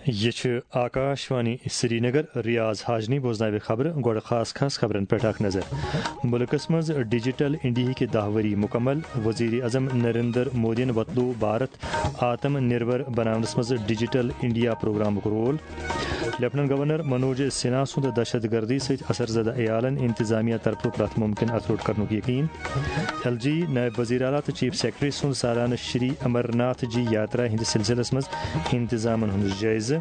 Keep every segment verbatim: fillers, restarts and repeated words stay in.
یہِ چھِ آکاشوانی سرینگر۔ ریاض حاجنی بوزناوِ خبرٕ۔ گۄڈٕ خاص خاص خبرن پٮ۪ٹھ اکھ نظر۔ مُلکس منٛز ڈیجیٹل انڈیاہٕکۍ دَہ ؤری مُکمل۔ وزیر اعظم نریندر مودیَن وۄتلوو بھارت آتم نربھر بناونس منٛز ڈیجیٹل انڈیا پروگرامُک role. Lieutenant governor Manoj Sinha سُنٛد دہشت گردی سۭتۍ اثر زدٕ عیالن انتظامیہ طرفہٕ پرٛٮ۪تھ مُمکِن اتھٕ روٚٹ کرنُک یقین۔ ایل جی، نائب وزیر اعلیٰ تہٕ چیف سیکرٹری سُنٛد سالانہٕ شری امر ناتھ جی یاترا ہٕنٛدِ سلسلس منٛز انتظامن ہُنٛد جٲیزٕ۔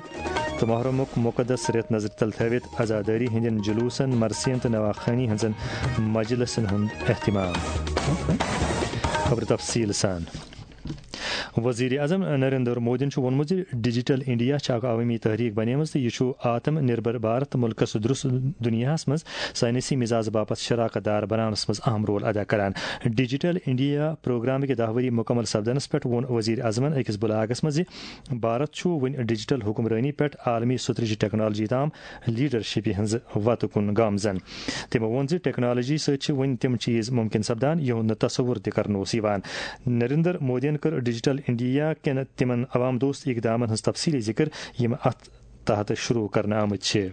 تہٕ محرمُک مقدس رٮ۪تھ نظرِ تل تھٲوِتھ عزادٲری ہٕنٛدٮ۪ن جلوسن، مرثین تہٕ نواخوانی ہٕنٛزن مجلسن ہُنٛد اہتمام۔ خبرٕ تفصیٖل سان۔ وزیر اعظم نریندر مودیَن چھُ ووٚنمُت زِ ڈیجیٹل انڈیا چھِ اکھ عوٲمی تحریک بنیمٕژ تہٕ یہِ چھُ آتم نربھر بھارت مُلکَس درُس دُنیاہَس منٛز سائنسی مزاج باپتھ شراکت دار بناونَس منٛز اہم رول ادا کران۔ ڈیجیٹل انڈیا پروگرام کہِ دَہ ؤری مُکمل سپدنَس پٮ۪ٹھ ووٚن وزیر اعظمَن أکِس بلاگَس منٛز زِ بھارت چھُ وۄنۍ ڈیجیٹل حکمرٲنی پٮ۪ٹھ عالمی سترٕچ ٹیکنالوجی تام لیڈرشپہِ ہٕنٛز وتہٕ کُن گامزن۔ تٔمۍ ووٚن زِ ٹیکنالوجی سۭتۍ چھِ وۄنۍ تِم چیز ممکن سپدان، یِہُنٛد نہٕ تصور تہِ کرنہٕ اوس یِوان۔ نریندر مودیَن کٔر ڈیجیٹل انڈیا کٮ۪ن تِمن عوام دوست اقدامن ہٕنٛز تفصیلی ذکر، یِم اتھ تحت شروع کرنہٕ آمٕتۍ چھِ۔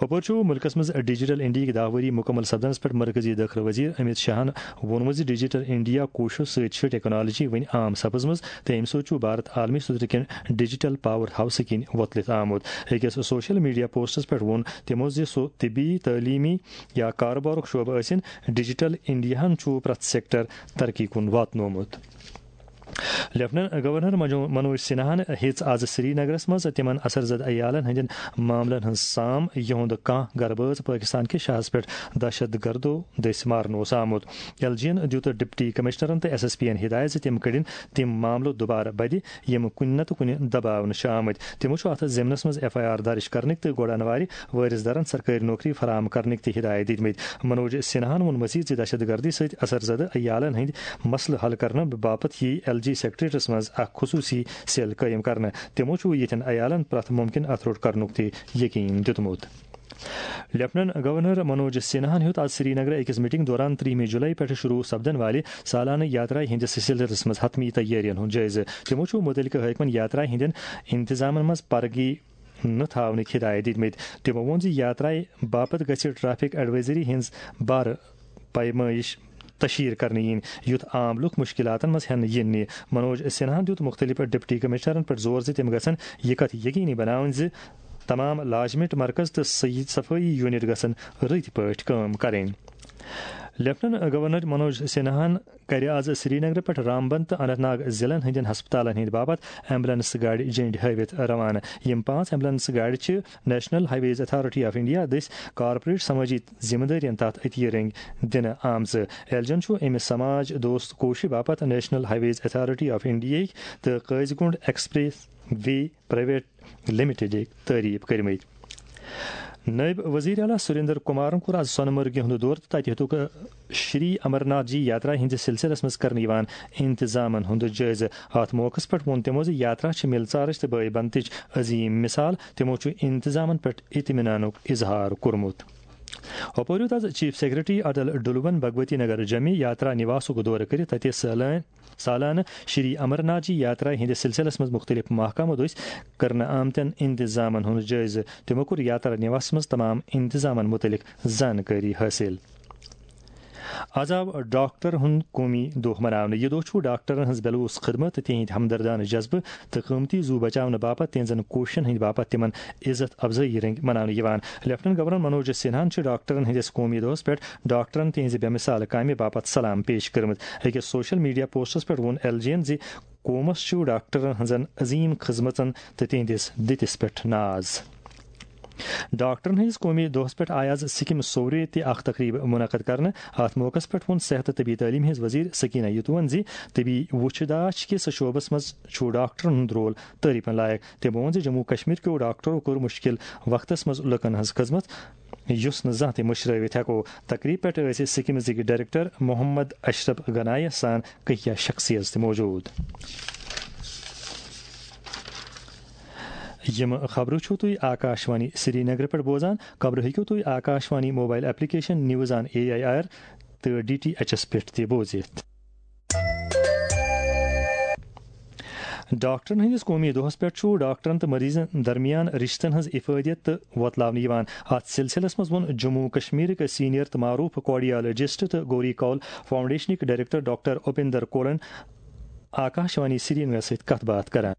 ہُپٲرۍ چھُ مُلکَس منٛز ڈیجیٹل انڈیاہٕکۍ دَہ ؤری مُکمل سپدنَس پٮ۪ٹھ مرکزی دٲخلہٕ وزیر امیت شاہَن ووٚنمُت زِ ڈیجیٹل انڈیا کوششو سۭتۍ چھِ ٹیکنالوجی وۄنۍ عام سپٕزمٕژ تہٕ اَمہِ سۭتۍ چھُ بھارت عالمی سطحٕ کٮ۪ن ڈیجیٹل پاور ہاؤسہٕ کِنۍ وۄتلِتھ آمُت۔ أکِس سوشل میڈیا پوسٹَس پٮ۪ٹھ ووٚن تِمو زِ سُہ طبی، تعلیمی یا کاروبارُک شعبہٕ ٲسِن، ڈیجیٹل انڈیاہَن چھُ پرٛٮ۪تھ سیکٹر ترقی کُن واتنومُت۔ لیفٹیننٹ گورنر منجو-، منوج سنہاہن ہیٚژ آز سرینگرس منٛز تِمن اثر زدٕ عیالن ہٕنٛدٮ۪ن معاملن ہٕنٛز سام، یِہُنٛد کانٛہہ گرٕ بٲژ پٲکستان کِس شاہس پٮ۪ٹھ دہشت گردو دٔسۍ مارنہٕ اوس آمُت۔ ایل جی ین دیُت ڈپٹی کمشنرن تہٕ ایس ایس پی ین ہدایت زِ تِم کٔڑِن تِم معاملہٕ دوبارٕ بدِ، یِم کُنہِ نتہٕ کُنہِ دباونہٕ چھِ آمٕتۍ۔ تِمو چھُ اتھ ضمنس منٛز ایف آئی آر درج کرنٕکۍ تہٕ گۄڈٕ انوارِ وٲرث دارن سرکٲرۍ نوکری فراہم کرنٕکۍ تہِ ہدایت دِتمٕتۍ۔ منوج سنہاہن ووٚن مزید زِ دہشت گردی سۭتۍ اثر زدٕ عیالن ہٕنٛدۍ مسلہٕ حل کرنہٕ باپتھ یِیہِ ایل جی سیکرٹریٹس منٛز اکھ خصوصی سیل قٲیِم کرنہٕ۔ تِمو چھُ یِتھٮ۪ن عیالن پرٛٮ۪تھ مُمکِن اتھٕ روٚٹ کرنُک تہِ یقین دیُتمُت۔ لیفٹیننٹ گورنر منوج سنہاہن ہیوٚت آز سرینگرٕ أکِس میٹنگ دوران ترٛہمہِ جولائی پٮ۪ٹھ شروع سپدن والہِ سالانہٕ یاترا ہٕنٛدِس سلسلس منٛز حتمی تیٲرین ہُنٛد جٲیزٕ۔ تِمو چھُ مُتعلقہٕ حٲکمن یاترا ہٕنٛدٮ۪ن انتظامن منٛز پرگی نہٕ تھاونٕکۍ ہدایت دِتمٕتۍ۔ تِمو ووٚن زِ یاترایہِ باپتھ گژھِ ٹریفک ایڈوائزری ہٕنٛز بارٕ پیمٲیش تشہیر کرنہٕ یِنۍ، یُتھ عام لوٗکھ مُشکِلاتن منٛز ہٮ۪نہٕ یِن نہٕ۔ منوج سنہاہن دیُت مُختٔلِف ڈپٹی کمشنرن پٮ۪ٹھ زور زِ تِم گژھن یہِ کتھ یقینی بناوٕنۍ زِ تمام لازمینٹ مرکز تہٕ صحیح صفٲیی یونٹ گژھن رٕتۍ پٲٹھۍ کٲم کرٕنۍ۔ لیفٹیننٹ گورنر منوج سنہاہن کرِ آز سرینگرٕ پٮ۪ٹھ رامبن تہٕ اننت ناگ ضلعن ہٕنٛدٮ۪ن ہسپتالن ہٕنٛدِ باپتھ ایمبولینس گاڑِ جنڈِ ہٲوِتھ روانہٕ۔ یِم پانٛژھ ایمبولینس گاڑِ چھِ national highways authority of India دٔسۍ کارپوریٹ سمٲجی ذمہٕ دٲرین تحت عطیہ رٔنگۍ دِنہٕ آمژٕ۔ ایل جی ین چھُ اَمہِ سماج دوست کوشش باپتھ national highways authority of انڈیاہٕکۍ تہٕ قٲضۍ گُنڈ ایکسپریس وے پرائیویٹ لمیٹڈٕکۍ تعریف کٔرمٕتۍ۔ نٲیِب وزیر اعلیٰ سریندر کمارن کوٚر آز سۄنہٕ مرگہِ ہُنٛد دورٕ تہٕ تتہِ ہیوٚتُکھ شری امرناتھ جی یاترا ہٕنٛدِس سلسلس منٛز کرنہٕ یِوان انتظامن ہُنٛد جٲیزٕ۔ اتھ موقعس پٮ۪ٹھ ووٚن تِمو زِ یاترا چھِ مِلژارٕچ تہٕ بٲے بنتٕچ عظیٖم مثال۔ تِمو چھُ انتظامن پٮ۪ٹھ اطمینانُک اظہار کوٚرمُت۔ ہُپٲرۍ ہیوٚت آز چیف سیکرٹری اٹل ڈُلون بھگوتی نگر جمی یاترا نِواسُک دورٕ کٔرِتھ تتہِ سٲلٲنۍ سالانہٕ شری امرناتھ جی یاترا ہٕنٛدِس سلسلس منٛز مُختٔلِف محکمو دٔسۍ کرنہٕ آمتٮ۪ن انتظامن ہُنٛد جٲیزٕ۔ تِمو کوٚر یاترا نِواسس منٛز تمام انتظامن مُتعلق زانکٲری حٲصِل۔ آز آو ڈاکٹر ہُنٛد قومی دۄہ مناونہٕ۔ یہِ دۄہ چھُ ڈاکٹرن ہٕنٛز بے لوث خدمت تہٕ تِہنٛدِ ہمدردانہٕ جذبہٕ تہٕ قۭمتی زُو بچاونہٕ باپتھ تِہنٛزن کوٗششن ہٕنٛدِ باپتھ تِمن عزت افزٲیی رٔنگۍ مناونہٕ یِوان۔ لیفٹیننٹ گورنر منوج سنہاہن چھِ ڈاکٹرن ہٕنٛدِس قومی دۄہس پٮ۪ٹھ ڈاکٹرن تِہنٛزِ بے مثال کامہِ باپتھ سلام پیش کٔرمٕژ۔ أکِس سوشل میڈیا پوسٹس پٮ۪ٹھ ووٚن ایل جی ین زِ قومس چھُ ڈاکٹرن ہٕنٛزن عظیٖم خدمژن تہٕ تِہنٛدِس دِتِس پٮ۪ٹھ ناز۔ ڈاکٹرن ہٕنٛدِس قومی دۄہس پٮ۪ٹھ آیہِ آز سکم سورے تہِ اکھ تقریب منعقد کرنہٕ۔ اتھ موقعس پٮ۪ٹھ ووٚن صحت تہٕ طبی تعلیٖم ہٕنٛز وزیر سکینہ یتوَن زِ طبی وُچھ داچھ کِس شعبس منٛز چھُ ڈاکٹرن ہُنٛد رول تعریفن لائق۔ تٔمۍ ووٚن زِ جموں کشمیر کیو ڈاکٹرو کوٚر مُشکِل وقتس منٛز لُکن ہٕنٛز خدمت، یُس نہٕ زانٛہہ تہِ مٔشرٲوِتھ ہٮ۪کو۔ تقریب پٮ۪ٹھ ٲسۍ سکمزٕکۍ ڈائریکٹر محمد اشرف غنایہ سان کینٛہہ شخصیت تہِ موجود۔ یِم خبرٕ چھِو تُہۍ آکاشوانی سرینگرٕ پٮ۪ٹھ بوزان۔ خبرٕ ہیٚکِو تُہۍ Akashvani mobile application news on A I R تہٕ ڈی ٹی ایچ ایس پٮ۪ٹھ تہِ بوٗزِتھ۔ ڈاکٹرن ہٕنٛدِس قومی دۄہس پٮ۪ٹھ چھُ ڈاکٹرن تہٕ مریضن درمیان رشتن ہٕنٛز افٲدیت تہٕ وۄتلاونہٕ یِوان۔ اتھ سلسلس منٛز ووٚن جموں و کشمیرٕکۍ سینئر تہٕ معروف کارڈیالوجسٹ تہٕ گوری کول فاؤنڈیشنٕکۍ ڈائریکٹر ڈاکٹر اپیندر کولن آکاشوانی سرینگرس سۭتۍ کتھ باتھ کران۔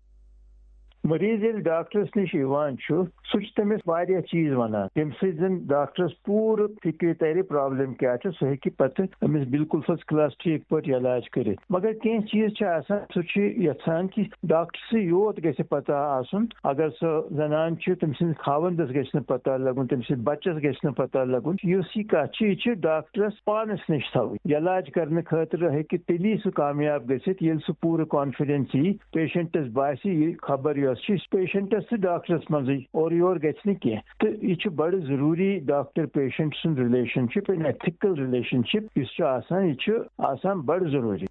مریض ییٚلہِ ڈاکٹرس نِش یِوان چھُ، سُہ چھُ تٔمِس واریاہ چیٖز وَنان، ییٚمہِ سۭتۍ زَن ڈاکٹرس پوٗرٕ فِکرِ تَرِ پرابلم کیٛاہ چھُ، سُہ ہیٚکہِ پَتہٕ أمِس بالکل first class ٹھیٖک پٲٹھۍ علاج کٔرِتھ۔ مگر کینٛہہ چیٖز چھِ آسان، سُہ چھُ یَژھان کہِ ڈاکٹرسٕے یوت گژھِ پَتہ آسُن۔ اگر سۄ زَنان چھِ، تٔمۍ سٕنٛدِس خاوَندَس گژھِ نہٕ پَتہ لَگُن، تٔمۍ سٕنٛدِس بَچَس گژھِ نہٕ پَتہ لَگُن۔ یُس یہِ کَتھ چھِ، یہِ چھِ ڈاکٹرس پانَس نِش تھاوٕنۍ۔ علاج کرنہٕ خٲطرٕ ہیٚکہِ تیٚلی سُہ کامیاب گٔژھِتھ، ییٚلہِ سُہ پوٗرٕ کانفیڈنس یی، پیشنٹس باسہِ، یہِ خبر یۄس چھِ پیشنٹس تہٕ ڈاکٹرس منٛزٕے، اورٕ یور گژھِ نہٕ کینٛہہ۔ تہٕ یہِ چھُ بڑٕ ضروٗری، ڈاکٹر پیشنٹ سُنٛد relation ship, an ethical relation شپ یُس چھُ آسان، یہِ چھُ آسان بڑٕ ضروٗری۔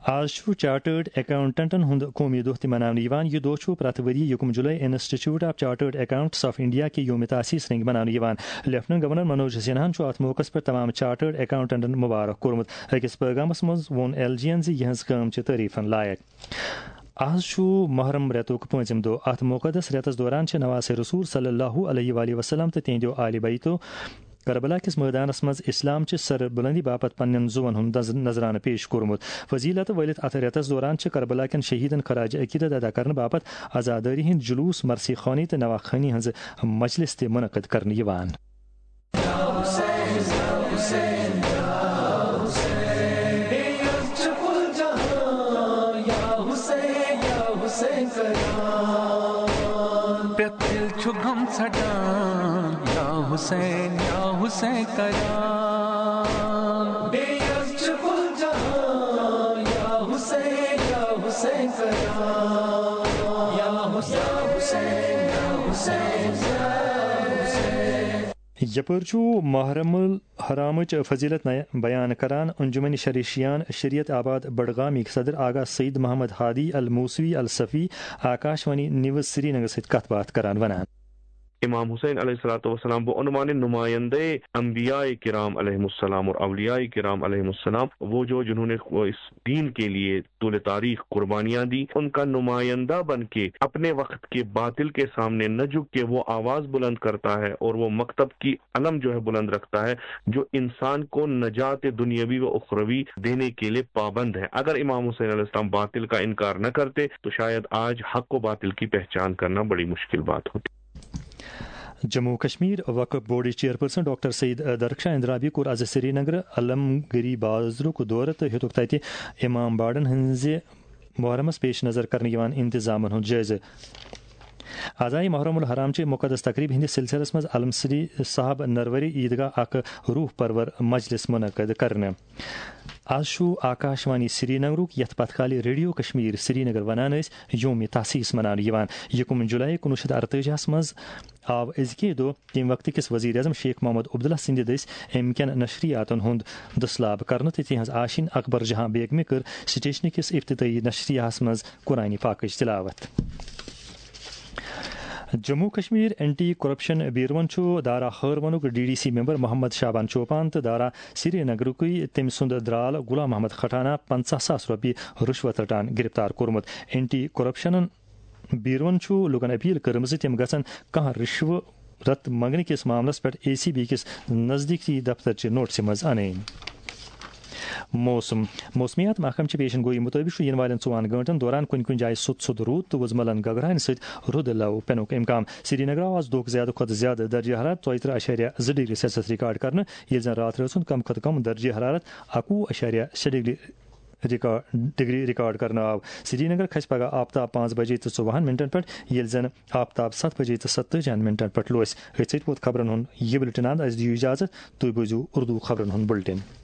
آز چھُ چارٹٲرڈ اکاؤنٹنٹن ہُنٛد قومی دۄہ تہِ مناونہٕ یِوان۔ یہِ دۄہ چھُ پرٛٮ۪تھ ؤرۍ یہِ یکم جولائی institute of chartered accountants of India کہِ یوم تاسیس رنگۍ مناونہٕ یِوان۔ لیفٹیننٹ گورنر منوج سنہاہن چھُ اتھ موقعس پٮ۪ٹھ تمام چارٹرڈ اکاؤنٹنٹن مبارک کوٚرمُت۔ أکِس پیغامس منٛز ووٚن ایل جی ین زِ یِہنٛز کٲم چھِ تعریفن لایق۔ آز چھُ محرم رٮ۪تُک پٲنٛژِم دۄہ۔ اتھ مقدس رٮ۪تس دوران چھِ نواسِ رسول صلی اللہ علیہ وآلہ وسلم تہٕ تِہنٛدیو آلِ بیتو کربلا کِس مٲدانس منٛز اسلام چہِ سر بلندی باپتھ پننٮ۪ن زُوَن ہُنٛد نذ-، نذرانہٕ پیش کوٚرمُت۔ فضیلت ؤلِتھ اتھ رٮ۪تس دوران چھِ کربلا کٮ۪ن شہیدن خراج عقیدت ادا کرنہٕ باپتھ عزادٲری ہٕنٛدۍ جلوس، مرثیہ خوانی تہٕ نواخوانی ہٕنٛز مجلس تہِ منعقد کرنہٕ یِوان۔ پرٛٮ۪تھ دِل چھُ غم ژھٹان، یا حسین، یا حسین کران۔ بیٚیہِ حظ چھُ کُل جہان، یا حسین، یا حسین کران۔ یا حسین، یا حسین، یا حسین۔ یپٲرۍ چھُ محرم الحرامٕچ فضیلت نیا-، بیان کران انجمن شریشیان شریعت آباد بڈگامٕکۍ صدر آغا سعید محمد ہادی الموسوی الصفی آکاشوانی نیوز سرینگر سۭتۍ کتھ باتھ کران ونان۔ امام حسین علیہ الصلوۃ والسلام بعنوان نمائندہ انبیاء کرام علیہ السلام اور اولیاء کرام علیہ السلام، وہ جو جنہوں نے اس دین کے لیے طول تاریخ قربانیاں دی، ان کا نمائندہ بن کے اپنے وقت کے باطل کے سامنے نہ جھک کے وہ آواز بلند کرتا ہے اور وہ مکتب کی علم جو ہے بلند رکھتا ہے، جو انسان کو نجات دنیاوی و اخروی دینے کے لیے پابند ہے۔ اگر امام حسین علیہ السلام باطل کا انکار نہ کرتے تو شاید آج حق و باطل کی پہچان کرنا بڑی مشکل بات ہوتی۔ جموں و کشمیر وقف بورڈٕچ چیئرپرسن ڈاکٹر سعید درخشاں اندرابی کوٚر از سرینگر علم گری بازرُک دورٕ تہٕ ہیوٚتُکھ تتہِ امام باڑن ہٕنزِ محرمس پیش نظر کرنہٕ یِوان انتظامن ہُنٛد جٲیزٕ۔ از آیہِ محرم الحرام چہِ مقدس تقریب ہٕنٛدِس سلسلس منٛز علم سری صاحب نروری عیدگاہ اکھ روح پرور مجلس منعقد کرنہٕ۔ از چھُ آکاشوانی سرینگرُک، یتھ پتھ کالہِ ریڈیو کشمیر سرینگر ونان ٲسۍ، یوم تاسیس مناونہٕ یِوان۔ یکم جولائی کُنوُہ شیٚتھ ارتٲجی ہس منٛز آو أزکے دۄہ تمہِ وقتہٕ کِس وزیر اعظم شیخ محمد عبداللہ سٕنٛدِ دٔسۍ امہِ کٮ۪ن نشریاتن ہُنٛد دٔسلاب کرنہٕ تہٕ تِہنٛز آشینۍ اکبر جہاں بیگمہِ کٔر سٹیشنہٕ کِس افتتاحی نشریاہس منٛز قرآن پاکٕچ تلاوت۔ جموں کشمیر اینٹی کرپشن بیورون چھُ دارا ہٲروَنُک D D C member Mohammad Shaban Chopan تہٕ دارا سری نگرُکُے تٔمۍ سُنٛد درال غلام محمد کھٹانہ پنژاہ ساس رۄپیہِ رُشوت رٹان گرفتار کوٚرمُت۔ اینٹی کرپشن بیورون چھُ لوٗکَن اپیل کٔرمٕژ زِ تِم گژھن کانٛہہ رِشوت منٛگنہٕ کِس معاملَس پٮ۪ٹھ اے سی بی کِس نزدیٖکی دفتر چہِ نوٹسہِ منٛز اَنٕنۍ۔ موسم۔ موسمیات محکمہٕ چہِ پیشن گویی مُطٲبِق چھُ یِنہٕ والٮ۪ن ژۄن گٲنٛٹن دوران کُنہِ کُنہِ جایہِ سوٚت سوٚت روٗد تہٕ وُزملن گگراونہٕ سۭتۍ رُد لو پینُک امکان۔ سری نگر آو آز دۄہُک زیادٕ کھۄتہٕ زیادٕ درجہ حرارت ژۄیہِ ترٕہ اَشاریہ زٕ ڈگری سیلسیس ریکارڈ کرنہٕ، ییٚلہِ زن راتھ رٲژ ہُنٛد کم کھۄتہٕ کم درجہ حرارت اَکوُہ اَشاریہ شےٚ ڈگری ریکارڈ، ڈگری ریکارڈ کرنہٕ آو۔ سری نگر کھسہِ پگہہ آفتاب پانٛژھ بجے تہٕ ژوٚوُہن منٹن پٮ۪ٹھ، ییٚلہِ زن آفتاب ستھ بجے تہٕ ستٲجی ہن منٹن پٮ۪ٹھ لوسہِ۔ أتھۍ سۭتۍ ووت خبرن ہُنٛد یہِ بُلٹن اند۔ اسہِ دِیِو اجازت، تُہۍ بوٗزِو اردو خبرن ہُنٛد بُلٹن۔